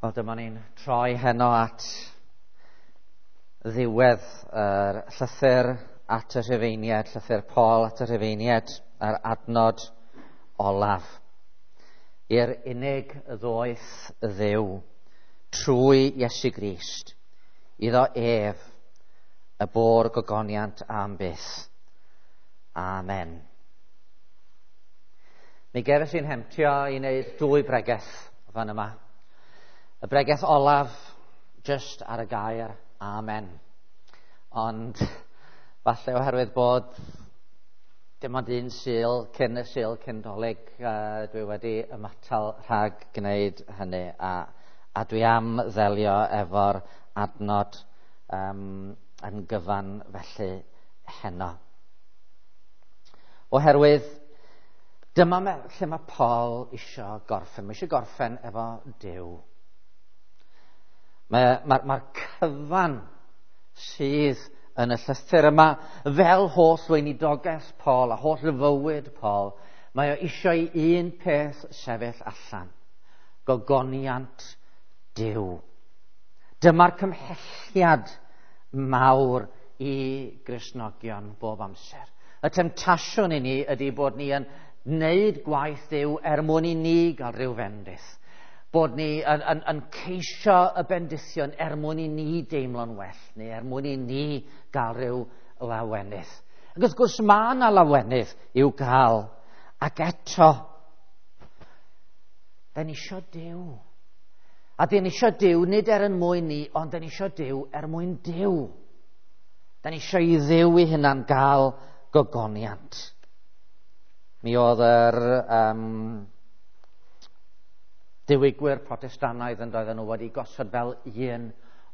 Wel, dyma ni'n troi heno at ddiwedd yr llythyr at y Rhufeiniaid, llythyr Paul at y Rhufeiniaid, yr adnod olaf. I'r unig ddoeth Dduw trwy Iesu Grist, iddo ef y bo'r gogoniant am byth. Amen. Mi gefais i'n hemtio i wneud dwy bregeth fan yma. Y bregeth olaf jyst ar y gair amen. Ond falle oherwydd bod dim ond un Sul cyn y Sul cyn Dolig, dwi wedi ymatal rhag gwneud hynny, a dwi am ddelio efo'r adnod yn gyfan felly heno. Oherwydd dyma lle mae Paul isio gorffen. Mae isio gorffen efo Duw. Mae'r cyfan sydd yn y llythyr yma, fel holl weinidogaeth Paul a holl fywyd Paul, mae o eisiau i un peth sefyll allan: gogoniant Duw. Dyma'r cymhelliad mawr i Gristnogion bob amser. Y temtasiwn i ni ydy bod ni yn wneud gwaith Duw er mwyn i ni gael rhyw fendith. Bod ni yn ceisio y bendithion er mwyn i ni deimlo'n well, neu er mwyn i ni gael rhyw lawenydd. Ac wrth gwrs mae yna lawenydd i'w gael, ac eto, da ni isio Duw. A da ni isio Duw nid er yn mwyn ni, ond da ni isio Duw er mwyn Duw. Da ni isio i Dduw i hunan gael gogoniant. Mi oedd yr diwygwyr Protestannaidd yn doedden nhw wedi gosod fel un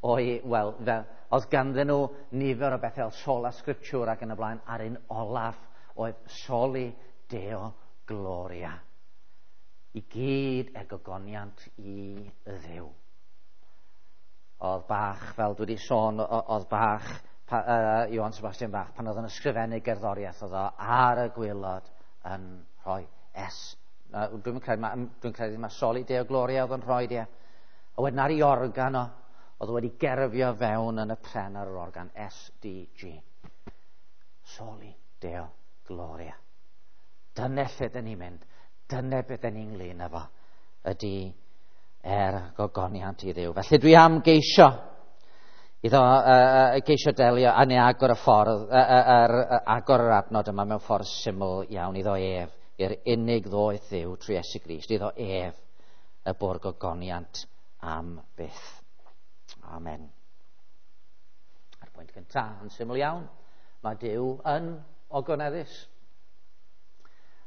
o'i, wel, fel, oedd ganddyn nhw nifer o bethau fel sola scriptura ac yn y blaen, a'r un olaf oedd soli Deo gloria. I gyd er gogoniant i Dduw. Oedd Bach, fel dwi wedi sôn, oedd Bach, Johann Sebastian Bach, pan oedd yn ysgrifennu gerddoriaeth, oedd o ar y gwaelod yn rhoi S. Dwi'n credu mae soli Deo gloria oedd yn rhoi dia. A wedyn ar ei organ o, oedd o wedi gerfio fewn yn y pren ar yr organ SDG. Soli Deo gloria. Dyna lle dyn ni'n mynd. Dyna beth dyn ni'n ynglyn efo, ydy er gogoniant i Dduw. Felly dwi am geisio iddo geisio delio a neu agor y ffordd, agor yr adnod yma mewn ffordd syml iawn iddo ef, i'r unig ddoeth Dduw trwy Iesu Grist, iddo ef y bo'r gogoniant am byth. Amen. A'r pwynt cyntaf, yn syml iawn, mae Duw yn ogoneddus.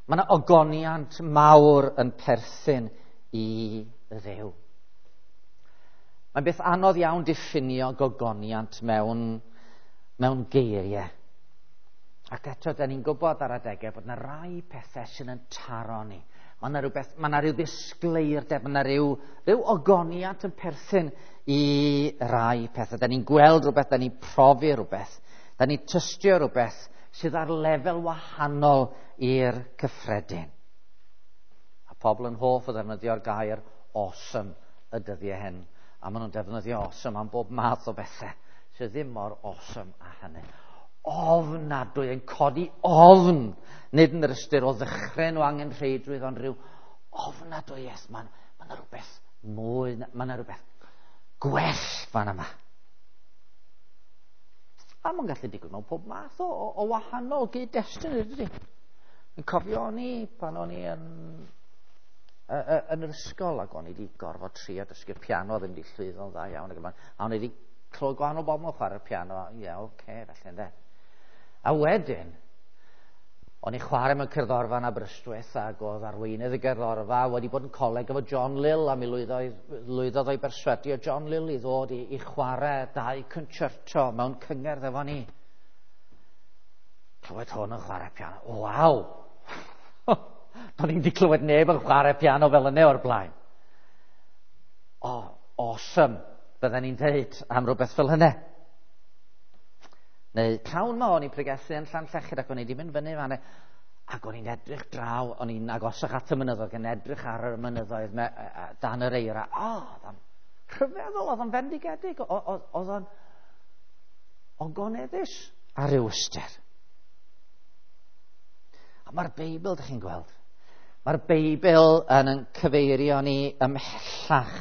Mae yna ogoniant mawr yn perthyn i Dduw. Mae'n beth anodd iawn diffinio gogoniant mewn geiriau. Ac eto, da ni'n gwybod ar adegau bod yna rai pethau sydd yn taro ni. Mae yna rhywbeth, mae yna rhyw ddisgleirdeb, mae yna rhyw ogoniant yn perthyn i rai pethau. Da ni'n gweld rhywbeth, da ni'n profi rhywbeth, da ni'n tystio rhywbeth sydd ar lefel wahanol i'r cyffredin. A pobl yn hoff o ddefnyddio'r gair awesome y dyddiau hyn. A maen nhw'n defnyddio awesome am bob math o bethau sydd ddim mor awesome â hynny. Ofnadwy, yn codi ofn, nid yn yr ystyr o ddychryn o angenrheidrwydd, ond rhyw ofnadwyaeth. Mae yna rhywbeth mwy, mae yna rhywbeth gwell fan yma. A mae'n gallu digwydd mewn pob math o wahanol gyd-destun, ydy. Yn cofio o'n i pan o'n i yn yr ysgol, ac o'n i wedi gorfod trio dysgu'r piano, ddim wedi llwyddo'n dda iawn, ac a o'n i wedi clywed gwahanol bobl yn chwarae'r piano, ie, oce, felly ynde. A wedyn, o'n i chwarae mewn cerddorfa yn Aberystwyth, ac oedd arweinydd y gerddorfa wedi bod yn coleg efo John Lill, a mi lwyddodd o'i berswadio John Lill i ddod i chwarae dau concerto mewn cyngerdd efo ni. Clywed hwn yn chwarae piano. Waw! Do'n i'n di clywed neb yn chwarae piano fel yna o'r blaen. O, awesome, bydden ni'n dweud am rhywbeth fel hynny. Neu prawn ma o'n i'n pregethu yn Llanllechid, ac o'n i wedi mynd fyny fan, ac o'n i'n edrych draw, o'n i'n agosach at y mynyddoedd, yn edrych ar y mynyddoedd dan yr eira. O, rhyfeddol, oedd o'n fendigedig, oedd o'n ogoneddus ar ryw ystyr. A mae'r Beibl, dych chi'n gweld, mae'r Beibl yn cyfeirio ni ymhellach.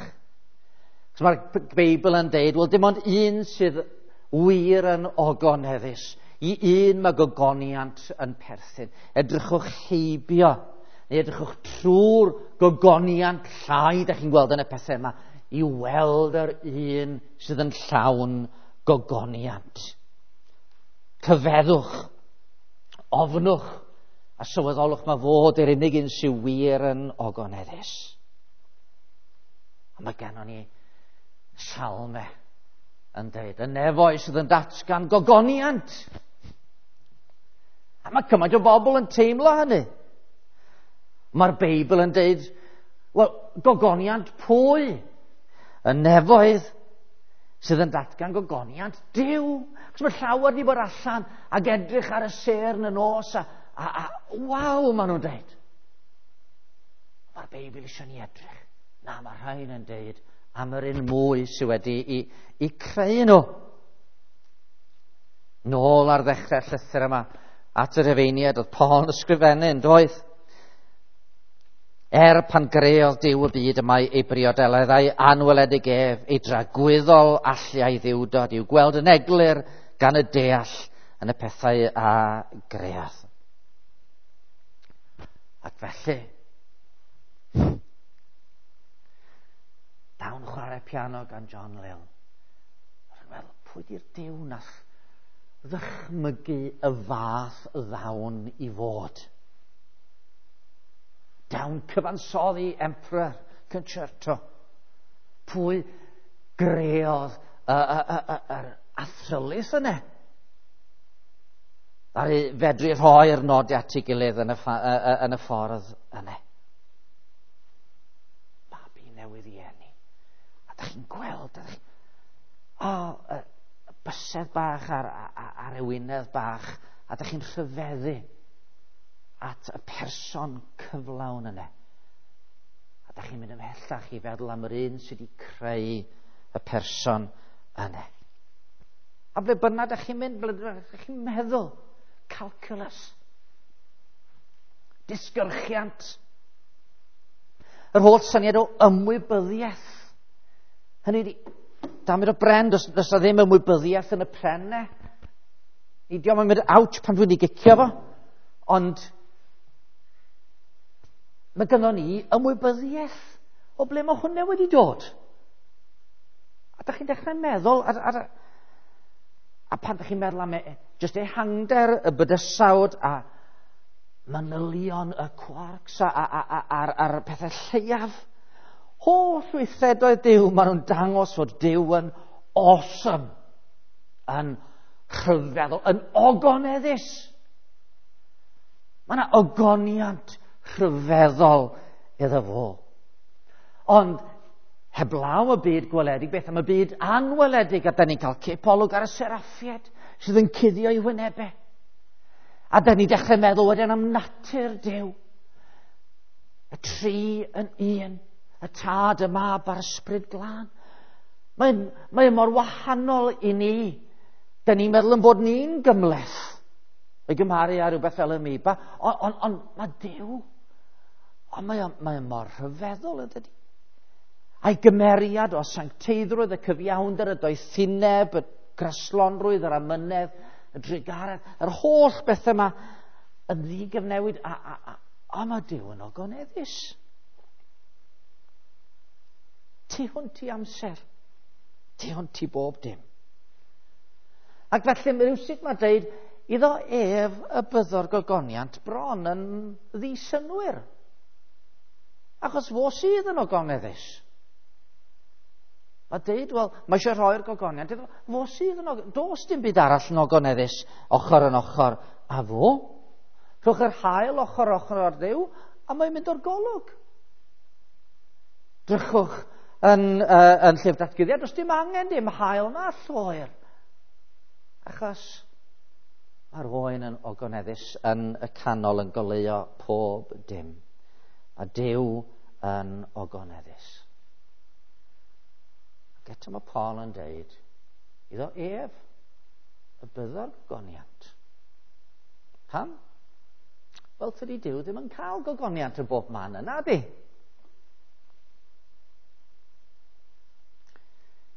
Cos mae'r Beibl yn deud, wel, dim ond un sydd wir yn ogoneddus. I un mae gogoniant yn perthyn. Edrychwch heibio, neu edrychwch trwy'r gogoniant llai, dych chi'n gweld yn y pethau yma, i weld yr un sydd yn llawn gogoniant. Cyfeddwch, ofnwch, a sylweddolwch mae fod yr unig un sydd wir yn ogoneddus. A mae gennon ni salme yn dweud, y nefoedd sydd yn datgan gogoniant. A mae cymaint o bobl yn teimlo hynny. Mae'r Beibl yn dweud, wel, gogoniant pwy? Y nefoedd sydd yn datgan gogoniant Duw. Cos mae llawer wedi bod allan ac edrych ar y sêr yn y nos a waw, maen nhw'n dweud. Mae'r Beibl eisiau ni edrych. Na, mae rhain yn dweud am yr un mwy sydd wedi i creu nhw. Nôl ar ddechrau'r llythyr yma, at yr Rhufeiniaid, oedd Paul yn ysgrifennu, yn doedd? Er pan greodd Duw y byd y mae ei briodeledd a'i anweledig ef, ei dragwyddol allu a'i ddiwdod i'w gweld yn eglur gan y deall yn y pethau a greodd. Ac felly, dawn chwarae piano gan John Lill. Dwi'n meddwl, pwy di'r Duw nath ddychmygu y fath ddawn i fod? Dawn cyfansoddi Emperor Concerto. Pwy greodd yr athrylith yna? Ddaru fedru rhoi'r nodau at ei gilydd yn y ffordd yna. Babi newydd i eni. A dych chi'n gweld, y bysedd bach a'r ewinedd bach, a dych chi'n rhyfeddu at y person cyflawn yna. A dych chi'n mynd ymhellach i feddwl am yr un sydd wedi creu y person yna. A ble bynnag dych chi'n mynd, ble dych chi'n meddwl, calculus, disgyrchiant, yr holl syniad o ymwybyddiaeth. Hynny ydi, damid o bren, does na ddim ymwybyddiaeth yn y pren ne. Ni dio'm yn mynd ouch pan dwi'n ei gicio fo, ond mae gynnon ni ymwybyddiaeth o ble mae hwnna wedi dod. A dych chi'n dechrau meddwl, a pan dych chi'n meddwl am jyst ehangder y bydysawd a manylion y quarks a'r pethau lleiaf, holl weithredoedd Duw, maen nhw'n dangos fod Duw yn awesome, yn rhyfeddol, yn ogoneddus. Mae yna ogoniant rhyfeddol iddo fo. Ond heblaw y byd gweledig, beth am y byd anweledig? A da ni'n cael cipolwg ar y seraffiaid sydd yn cuddio i wynebau. A da ni'n dechrau meddwl wedyn am natur Duw. Y tri yn un, y Tad, y Mab a'r Ysbryd Glân. Mae mor wahanol i ni. Da ni'n meddwl yn bod ni'n gymhleth o'i gymharu â rhywbeth fel amoeba. Ond mae Duw, ond mae mor rhyfeddol, yn dydi? A'i gymeriad o sancteiddrwydd, y cyfiawnder, y doethineb, y graslonrwydd, yr amynedd, y drugaredd, yr holl bethau yma yn ddigyfnewid, a mae Duw yn ogoneddus. Tu hwnt i amser, tu hwnt i bob dim. Ac felly, rhywsut mae dweud, iddo ef y byddo'r gogoniant bron yn ddisynnwyr. Achos fo sydd yn ogoneddus. Mae dweud, wel, mae eisiau rhoi'r gogoniant iddo fo sydd yn ogoneddus. Does dim byd arall yn ogoneddus ochr yn ochr a fo. Rhowch yr haul ochr ochr ar Dduw, a mae'n mynd o'r golwg. Drychwch yn llyfr Datguddiad, does dim angen dim haul na lloer. Achos mae'r oen yn ogoneddus yn y canol yn goleuo pob dim. A Duw yn ogoneddus. Ac eto mae Paul yn deud, iddo ef y byddo'r gogoniant. Pam? Wel, tydi Duw ddim yn cael gogoniant yn bob man yna, di?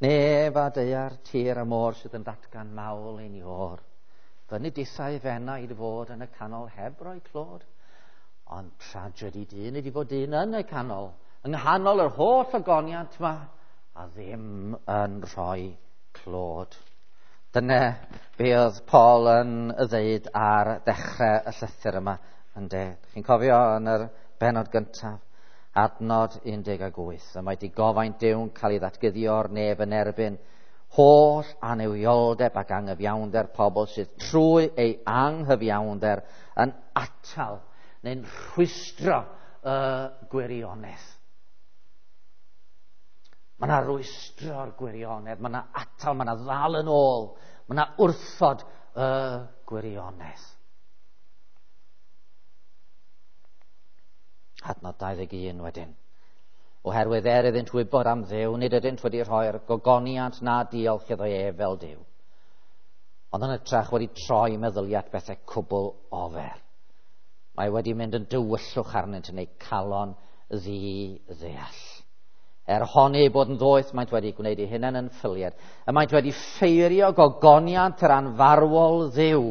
Nef a daear, tir a môr sydd yn datgan mawl ein iôr. Fyny disau fenaid fod yn y canol heb roi clod. Ond tragedy dyn ydi fod dyn yn y canol, yng nghanol yr holl ogoniant yma, a ddim yn rhoi clod. Dyna be oedd Paul yn y ddeud ar ddechrau y llythyr yma, ynde. Chi'n cofio yn yr bennod gyntaf, adnod 18, y mae digofaint Duw'n cael ei ddatguddio o'r nef yn erbyn holl annuwioldeb ac anghyfiawnder pobl sydd trwy ei anghyfiawnder yn atal neu'n rhwystro y gwirionedd. Mae yna rwystro'r gwirionedd, mae yna atal, mae yna ddal yn ôl, mae yna wrthod y gwirionedd. Adnod 21 wedyn. Oherwydd er iddynt wybod am Dduw, nid ydynt wedi rhoi'r gogoniant na diolch iddo ef fel Duw. Ond yn hytrach wedi troi meddyliad bethau cwbl ofer. Mae wedi mynd yn dywyllwch arnynt yn eu calon ddi-ddeall. Er honni eu bod yn ddoeth, maent wedi gwneud eu hunain yn ffyliad. Y maent wedi ffeirio gogoniant yr anfarwol Dduw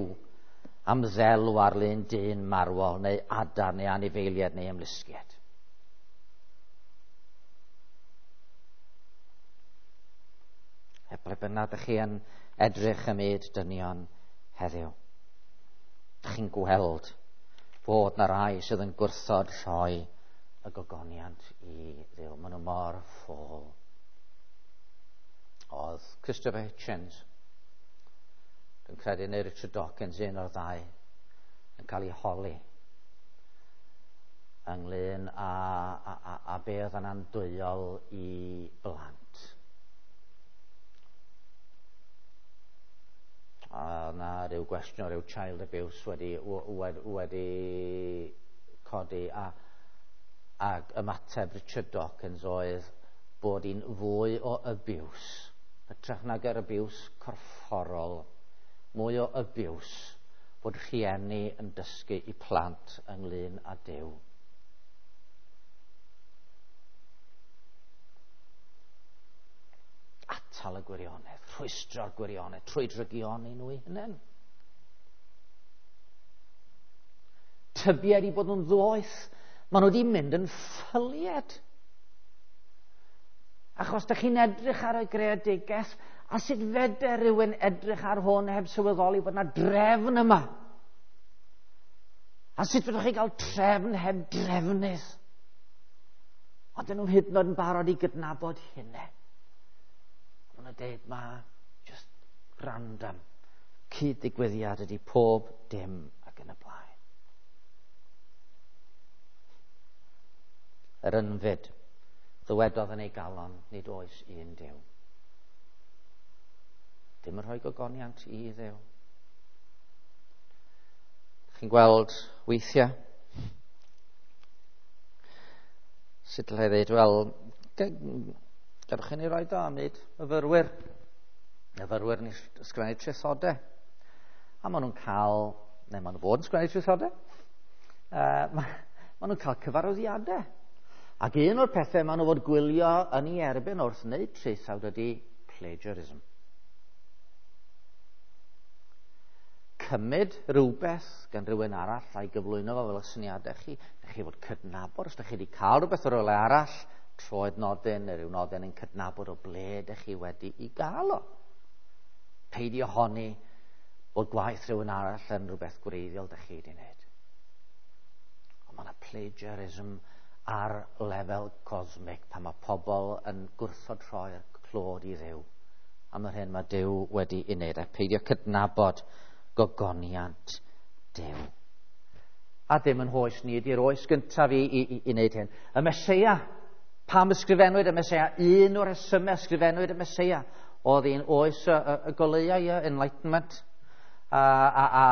am ddelw ar lun dyn marwol, neu adar, neu anifeiliad, neu ymlusgiad. E ble bynnag ydych chi yn edrych ym myd dynion heddiw, ydych chi'n gweld fod na rai sydd yn gwrthod rhoi y gogoniant i Dduw. Maen nhw mor ffôl. Oedd Christopher Hitchens, dwi'n credu, neu Richard Dawkins, un o'r ddau, yn cael ei holi ynglyn â, a, a, a be oedd yn andwyol i blant. A na rhyw gwestiwn o ryw child abuse wedi, wedi, wedi codi a ac ymateb Richard Dawkins oedd bod hi'n fwy o abuse, hytrach nag yr abuse corfforol, mwy o abuse bod rhieni yn dysgu i plant ynglyn â Duw. Atal y gwirionedd, rhwystro'r gwirionedd, trwy drygioni nhw eu hunain. Tybied i bod nhw'n ddoeth, maen nhw wedi mynd yn ffyliad. Achos da chi'n edrych ar y greadigaeth, a sut feder rhywun edrych ar hwn heb sylweddoli bod yna drefn yma? A sut fedrwch chi gael trefn heb drefnydd? Ond dyn nhw hyd yn oed yn barod i gydnabod hynny. Maen nhw'n dweud, mae just random cyd-ddigwyddiad ydy pob dim ac yn y blaen. Yr ynfyd, ddywedodd yn ei galon, nid oes un Duw. Dim yn rhoi gogoniant i Dduw. Chi'n gweld weithiau? Sut allai ddweud, wel, gadwch chi ni roi do am wneud myfyrwyr. Myfyrwyr yn ysgrifennu traethodau. A maen nhw'n cael, neu maen nhw fod yn sgrifennu traethodau. Maen nhw'n cael cyfarwyddiadau. Ac un o'r pethau maen nhw fod gwylio yn ei erbyn wrth wneud traethawd ydy plagiarism. Cymryd rhywbeth gan rhywun arall a'i gyflwyno fo fel y syniadau chi. Dych chi fod cydnabod, os ydych chi wedi cael rhywbeth o rywle arall, troed nodyn neu rhyw nodyn yn cydnabod o ble ydych chi wedi i gael o. Peidio honni bod gwaith rhywun arall yn rhywbeth gwreiddiol ydych chi wedi wneud. Ond mae yna plagiarism ar lefel cosmic pan mae pobl yn gwrthod rhoi'r clod i Dduw am yr hyn mae Duw wedi ei wneud, a peidio cydnabod gogoniant Duw. A dim yn hoes ni ydy'r oes gyntaf i, i, i, i wneud hyn. Y Meseia, pam ysgrifennwyd y Meseia? Un o'r rhesymau ysgrifennwyd y Meseia oedd un oes y, y, y goleuau, y Enlightenment. A, a, a,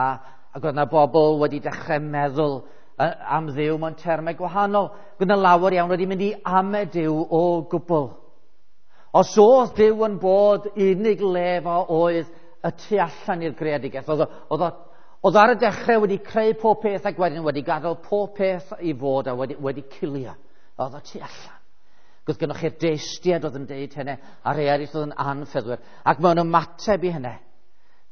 ac oedd yna bobl wedi dechrau meddwl am Dduw mewn termau gwahanol. Oedd yna lawer iawn wedi mynd i ame Duw o gwbl. Os oedd Duw yn bod, unig le fo oedd y tu allan i'r greadigaeth. Oedd ar y dechrau wedi creu pob peth ac wedyn wedi gadael pob peth i fod a wedi cilio. Oedd o tu allan. Oedd gennych chi'r deistiad oedd yn deud hynny, a rhai eraill oedd yn anffyddwyr. Ac mewn ymateb i hynny,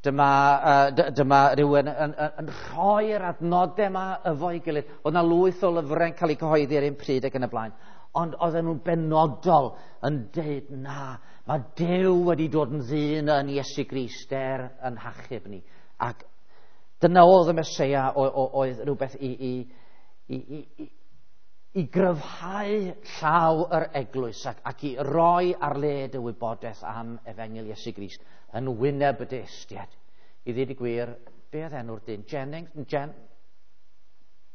dyma rhywun yn rhoi'r adnodau yma efo'i gilydd. Oedd yna lwyth o lyfrau'n cael eu cyhoeddi ar un pryd ac yn y blaen. Ond oedden nhw'n benodol yn deud, na, mae Duw wedi dod yn ddyn yn Iesu Grist er yn hachub ni. Ac dyna oedd y Meseia, oedd rhywbeth i gryfhau llaw yr eglwys ac i roi ar led y wybodaeth am Efengyl Iesu Grist yn wyneb y deistiad. I ddweud y gwir, be oedd enw'r dyn? Jennings?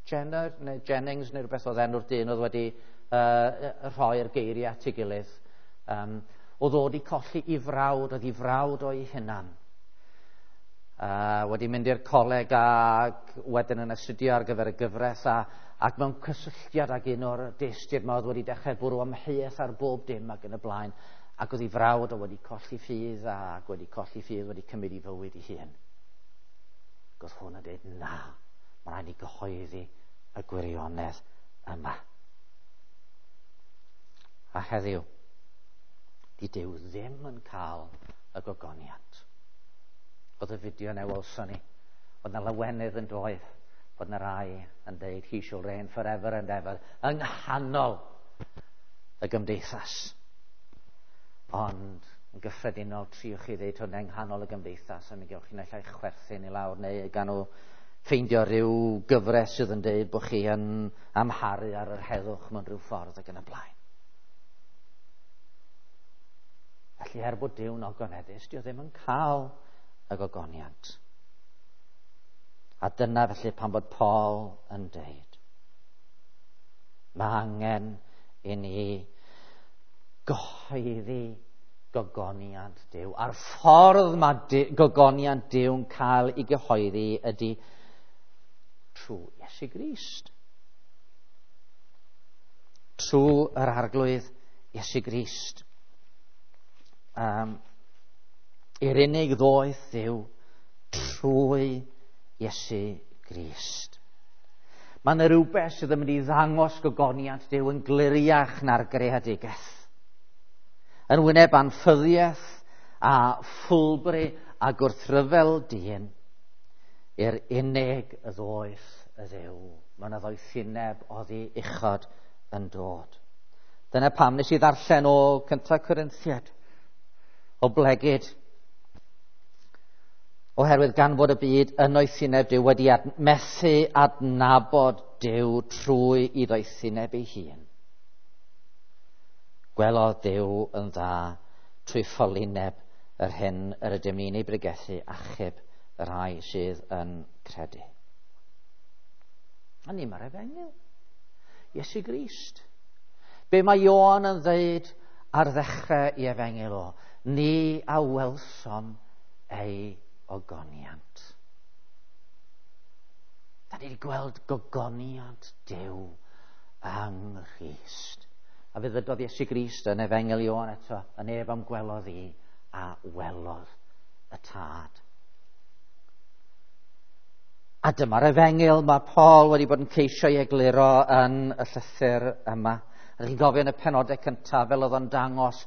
Jenner neu Jennings neu rhywbeth oedd enw'r dyn oedd wedi rhoi'r geiriau at ei gilydd. Oedd o wedi colli i frawd, oedd i frawd o'i hunan. Wedi mynd i'r coleg ac wedyn yn astudio ar gyfer y gyfraith ac mewn cysylltiad ag un o'r deistiaid yma oedd wedi dechrau bwrw amheuaeth ar bob dim ac yn y blaen, ac oedd ei frawd o wedi colli ffydd ac wedi colli ffydd wedi cymryd ei fywyd ei hun. Ac oedd hwn yn dweud, na, mae rhaid i gyhoeddi y gwirionedd yma. A heddiw, di Duw ddim yn cael y gogoniant. Oedd y fideo na welson ni, oedd na lawenydd yn doedd, bod na rai yn deud, he shall reign forever and ever, yng nghanol y gymdeithas. Ond yn gyffredinol, triwch chi ddeud hwnna yng nghanol y gymdeithas, a mi gewch chi naill ai chwerthin i lawr, neu gan nhw ffeindio rhyw gyfres sydd yn deud bod chi yn amharu ar yr heddwch mewn rhyw ffordd ac yn y blaen. Felly er bod Duw'n ogoneddus, dio ddim yn cael y gogoniant. A dyna felly pan bod Paul yn deud, mae angen i ni gyhoeddi gogoniant Duw. A'r ffordd mae gogoniant Duw'n cael ei gyhoeddi ydy trwy Iesu Grist. Trwy yr Arglwydd Iesu Grist. I'r unig ddoeth Dduw trwy Iesu Grist. Mae yna rhywbeth sydd yn mynd i ddangos gogoniant Duw yn gliriach na'r greadigaeth. Yn wyneb anffyddiaeth a ffwlbri a gwrthryfel dyn, i'r unig ddoeth y Dduw. Mae yna ddoethineb oddi uchod yn dod. Dyna pam nes i ddarllen o 1 Corinthiaid, o blegid, oherwydd gan fod y byd yn oethineb Duw wedi methu adnabod Duw trwy i ddoethineb ei hun. Gwelodd Duw yn dda trwy ffolineb yr hyn yr ydym ni'n ei bregethu, achub y rhai sydd yn credu. A ni mae'r efengyl. Iesu Grist. Be mae Ioan yn ddeud ar ddechrau i efengyl o? Ni a welsom ei ogoniant. Da ni wedi gweld gogoniant Duw yng Nghrist. A fe ddydodd Iesu Grist yn Efengyl Ioan eto, y neb am gwelodd i a welodd y Tad. A dyma'r efengyl mae Paul wedi bod yn ceisio ei egluro yn y llythyr yma. A chi'n gofio yn y penodau cyntaf fel oedd o'n dangos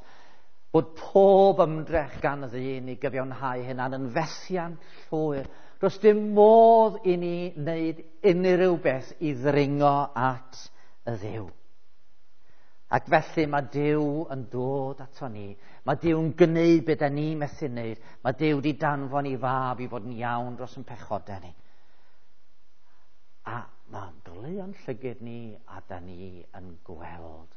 bod pob ymdrech gan ddyn i gyfiawnhau hynna'n yn fethiant llwyr. Does dim modd i ni wneud unrhyw beth i ddringo at y Dduw. Ac felly mae Duw yn dod ato ni. Mae Duw yn gwneud beth da ni methu wneud. Mae Duw wedi danfon i fab i fod yn iawn dros yn pechodau ni. A mae'n goleuo'n llygyd ni a da ni yn gweld.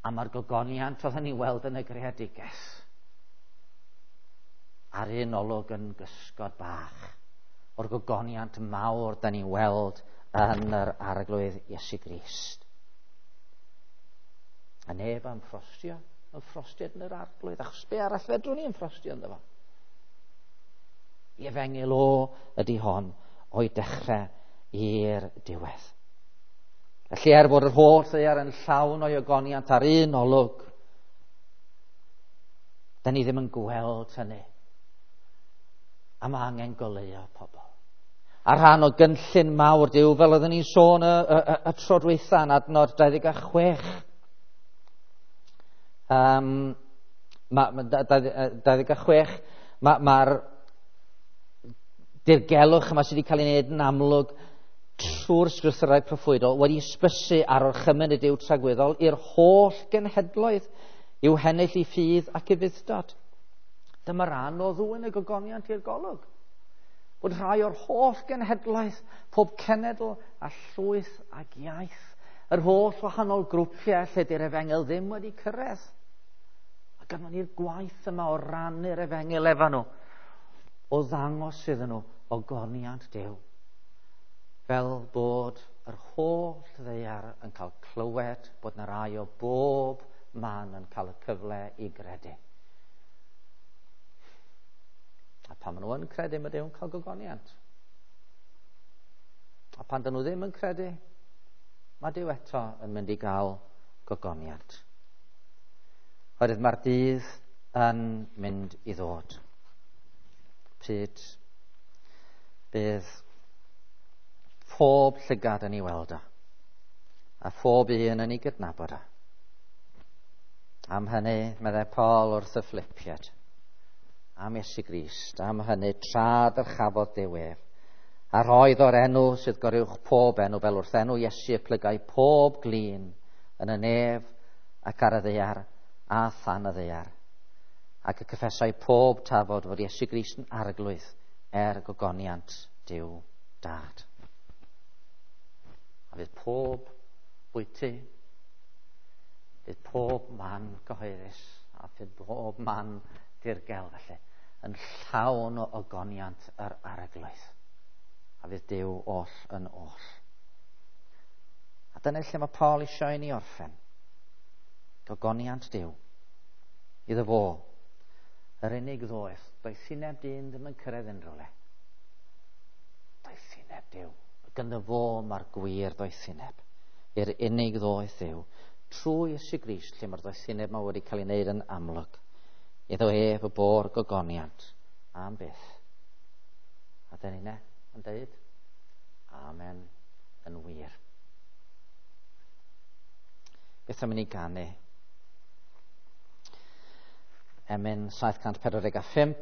A mae'r gogoniant oedden ni weld yn y greadigaeth ar un olwg yn gysgod bach o'r gogoniant mawr da ni weld yn yr Arglwydd Iesu Grist. A neb am ffrostio, yn ffrostiad yn yr Arglwydd, achos be arall fedrwn ni yn ffrostio ynddo fo? I efengyl o ydy hon o'i dechrau i'r diwedd. Felly er bod yr holl ddaear yn llawn o'i ogoniant ar un olwg, Da ni ddim yn gweld hynny. A mae angen goleuo pobl. A rhan o gynllun mawr Duw, fel oeddwn ni'n sôn y tro dwytha yn adnod 26. 26, mae'r dirgelwch yma sydd wedi cael ei wneud yn amlwg trwy'r sgrythyrau proffwydol wedi ysbysu ar orchymyn y Duw tragwyddol i'r holl genhedloedd i'w hennill i ffydd ac i fudd-dod. Dyma ran o ddwyn y gogoniant i'r golwg. Bod rhai o'r holl genhedloedd, pob cenedl a llwyth ac iaith, yr holl wahanol grwpiau lle di'r efengyl ddim wedi cyrraedd. A gynnon ni'r gwaith yma o rannu'r efengyl efo nhw, o ddangos iddyn nhw ogoniant Duw, fel bod yr holl ddaear yn cael clywed bod 'na rai o bob man yn cael y cyfle i gredu. A pan maen nhw yn credu, mae Duw'n cael gogoniant. A pan dyn nhw ddim yn credu, mae Duw eto yn mynd i gael gogoniant. Oherwydd mae'r dydd yn mynd i ddod. Pryd bydd pob llygad yn ei weld o, a phob un yn ei gydnabod o. Am hynny, meddai Paul wrth y Philipiaid, am Iesu Grist, am hynny tra dyrchafodd Duw ef, a roedd o'r enw sydd goruwch pob enw, fel wrth enw Iesu y plygai pob glin yn y nef ac ar y ddaear a than y ddaear, ac y cyffesai pob tafod fod Iesu Grist yn arglwydd er gogoniant Duw Dad. A fydd pob bwyty, fydd pob man cyhoeddus, a fydd pob man dirgel felly, yn llawn o ogoniant yr arglwydd. A fydd Duw oll yn oll. A dyna lle mae Paul eisiau i ni orffen. Gogoniant Duw. Iddo fo, yr unig ddoeth, doethineb dyn ddim yn cyrraedd unrhyw le. Doethineb Duw. Gyda fo mae'r gwir doethineb. I'r unig ddoeth Duw. Trwy Iesu Grist, lle mae'r doethineb yma wedi cael ei wneud yn amlwg. Iddo ef y bo'r gogoniant am byth. A dyn ni'n yn dweud, amen yn wir. Beth am i ni ganu? Emyn 745.